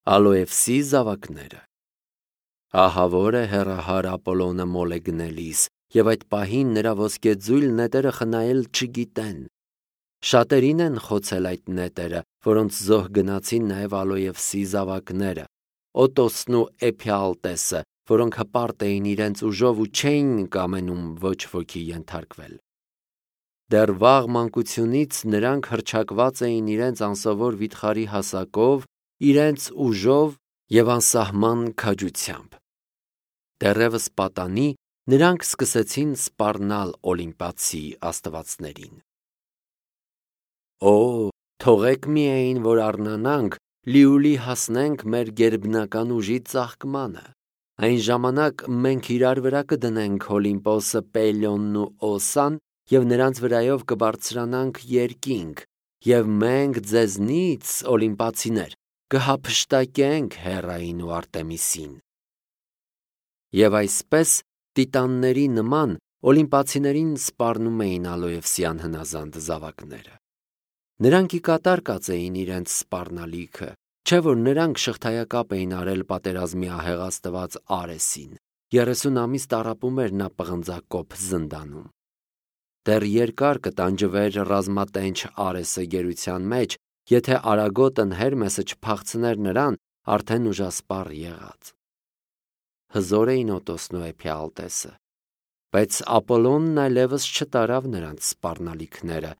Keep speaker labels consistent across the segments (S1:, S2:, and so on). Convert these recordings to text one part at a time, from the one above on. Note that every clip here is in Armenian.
S1: Ալոևսի զավակները։ Ահավոր է հեռահար Ապոլոնը մոլ է գնելիս, և այդ պահին նրա ոսկեձույլ նետերը խնայել չգիտեն։ Շատերին են խոցել այդ նետերը, որոնց զոհ գնացին նաև Ալոևսի զավակները, Օտոսն ու Էփիալտեսը, որոնք հպարտ էին իրենց ուժով ու չէին կամենում ոչ ոքի ենթարկվել։ Դեռ վաղ մանկությունից նրանք հռչակված էին իրենց անսովոր վիթխարի հասակով, իրենց ուժով և անսահման քաջությամբ։ Դեռևս պատանի նրանք սկսեցին սպառնալ Օլիմպացի աստվածներին։ Օ, թողեք միայն, որ առնանանք, լիուլի հասնենք մեր գերբնական ուժի ծաղկմանը։ Այն ժամանակ մենք իրար վրա կդնենք Օլիմպոսը, Պելիոնն ու Օսան և նրանց վրայով կբարձրանանք երկինք, և մենք ձեզնից, օլիմպացիներ, կհափշտակենք Հեռային ու Արտեմիսին։ Եվ այսպես, տիտանների նման, օլիմպացիներին սպառնում էին Ալոևսյան հնազանդ զավակները։ Նրանք ի կատար կացեին իրենց սպառնալիքը, չէ՞ որ նրանք շղթայակապ էին արել պատերազմի ահեղ աստված Արեսին, 30 ամիս տառապում էր նա պղնձակոփ զնդանում։ Դեռ երկար կտանջվեր ռազմատենչ Արեսը գերության մեջ, եթե արագոտն Հերմեսը չփախցներ նրան, արդեն ուժասպառ եղած։ Հզոր էին Օտոսն ու Էփիալտեսը, բայց Ապոլոնն այլևս չտարավ նրանց սպառնալիքները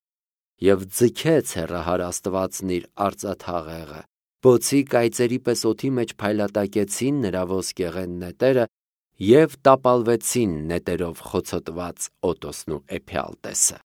S1: և ձգեց հեռահար աստվածն իր արծաթաղեղը, բոցի կայծերի պես օդի մեջ փայլատակեցին նրա ոսկեղեն նետերը և տապալվեցին նետերով խոցոտված Օտոսն ու Էփիալտեսը։